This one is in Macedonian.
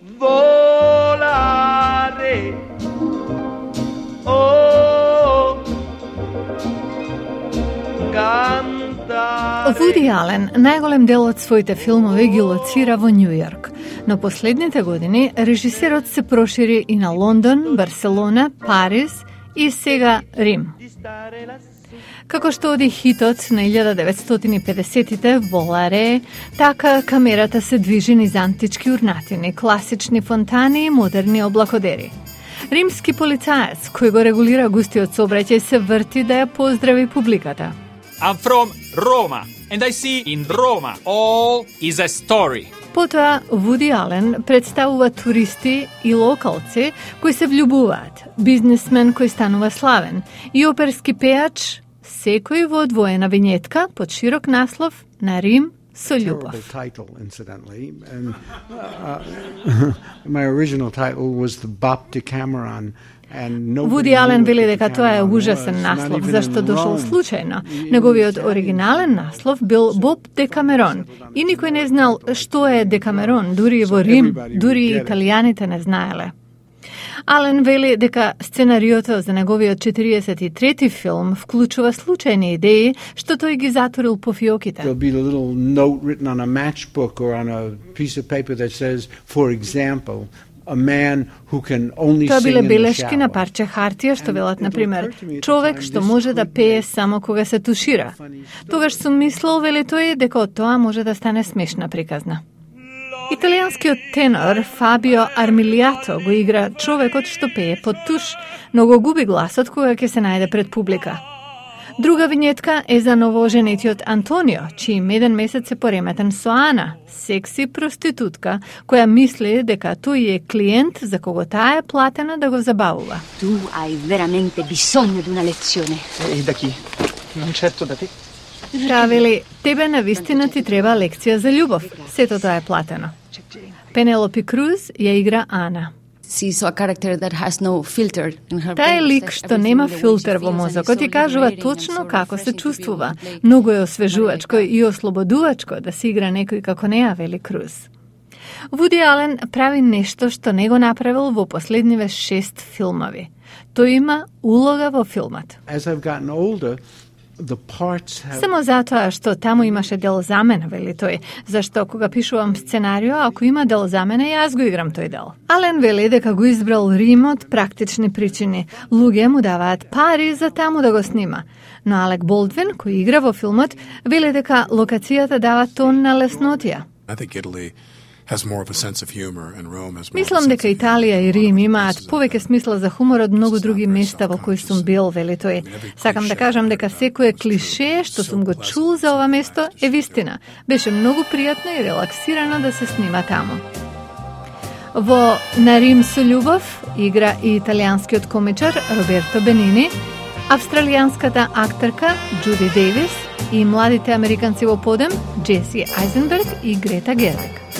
Volare. Oh. Вуди Ален најголем дел од своите филмови ги лоцира во Њу Јорк, но последните години режисерот се прошири и на Лондон, Барселона, Париз и сега Рим. Како што оди хитот на 1950-тите Воларе, така камерата се движи низ антички урнатини, класични фонтани и модерни облакодери. Римски полицаец, кој го регулира густиот сообраќај, се врти да ја поздрави публиката. I'm from Roma, and I see in Roma all is a story. Потоа Вуди Ален представува туристи и локалци кои се влюбуваат, бизнисмен кој станува славен и оперски пејач, секој во одвоена винетка под широк наслов на Рим со љубов. My original title was the Bop Decameron. Вуди Ален вели дека тоа е ужасен наслов, зашто дошол случајно. Неговиот оригинален наслов бил Боб Декамерон и никој не знал што е Декамерон, дури и во Рим, дури и италијаните не знаеле. Ален вели дека сценариото за неговиот 43-ти филм вклучува случајни идеи што тој ги затворил по фиоките. There'll be a little note written on a matchbook or on a piece of paper that says, for example, a man who can only Тоа sing биле in the белешки на shower. парче хартија што велат, например, човек што може да пее само кога се тушира. Тогаш сум мислел, вели тој, дека од тоа може да стане смешна приказна. Италијанскиот тенор Фабио Армилиато го игра човекот што пее под туш, но го губи гласот кога ќе се најде пред публика. Друга винетка е за новооженетиот Антонио, чиј меден месец е пореметен со Ана, секси проститутка, која мисли дека тој е клиент за кого таа е платена да го забавува. Tu hai veramente bisogno di una lezione. E da chi? Non certo da te. Таа вели, тебе навистина ти треба лекција за љубов, сето тоа е платено. Пенелопи Круз ја игра Ана. She's a character that has no filter in her Таа е brain. лик што нема филтер во мозокот и кажува точно како се чувствува. Многу е освежувачко и ослободувачко да се игра некој како неа, вели Круз. Вуди Ален прави нешто што не го направил во последниве 6 филмови. Тој има улога во филмот. As I've gotten older, the parts have Само затоа што таму имаше дел за мене, вели тој, зашто кога пишувам сценарио, ако има дел за мене, јас го играм тој дел. Ален вели дека го избрал Рим од практични причини. Луѓе му даваат пари за таму да го снима. Но Алек Болдвин, кој игра во филмот, вели дека локацијата дава тон на леснотија. I think Italy has more of a sense of humor and Rome has more of a Мислам sense дека of humor. Италија и Рим имаат повеќе смисла за хумор од многу други места во кои сум бил, вели тој. Сакам да кажам дека секое клише што сум го чул за ова место е вистина. Беше многу пријатно и релаксирано да се снима таму. Во На Рим со љубов игра и италијанскиот комичар Роберто Бенини, австралијанската актерка Джуди Дејвис и младите американци во подем Джеси Айзенберг и Грета Гервиг.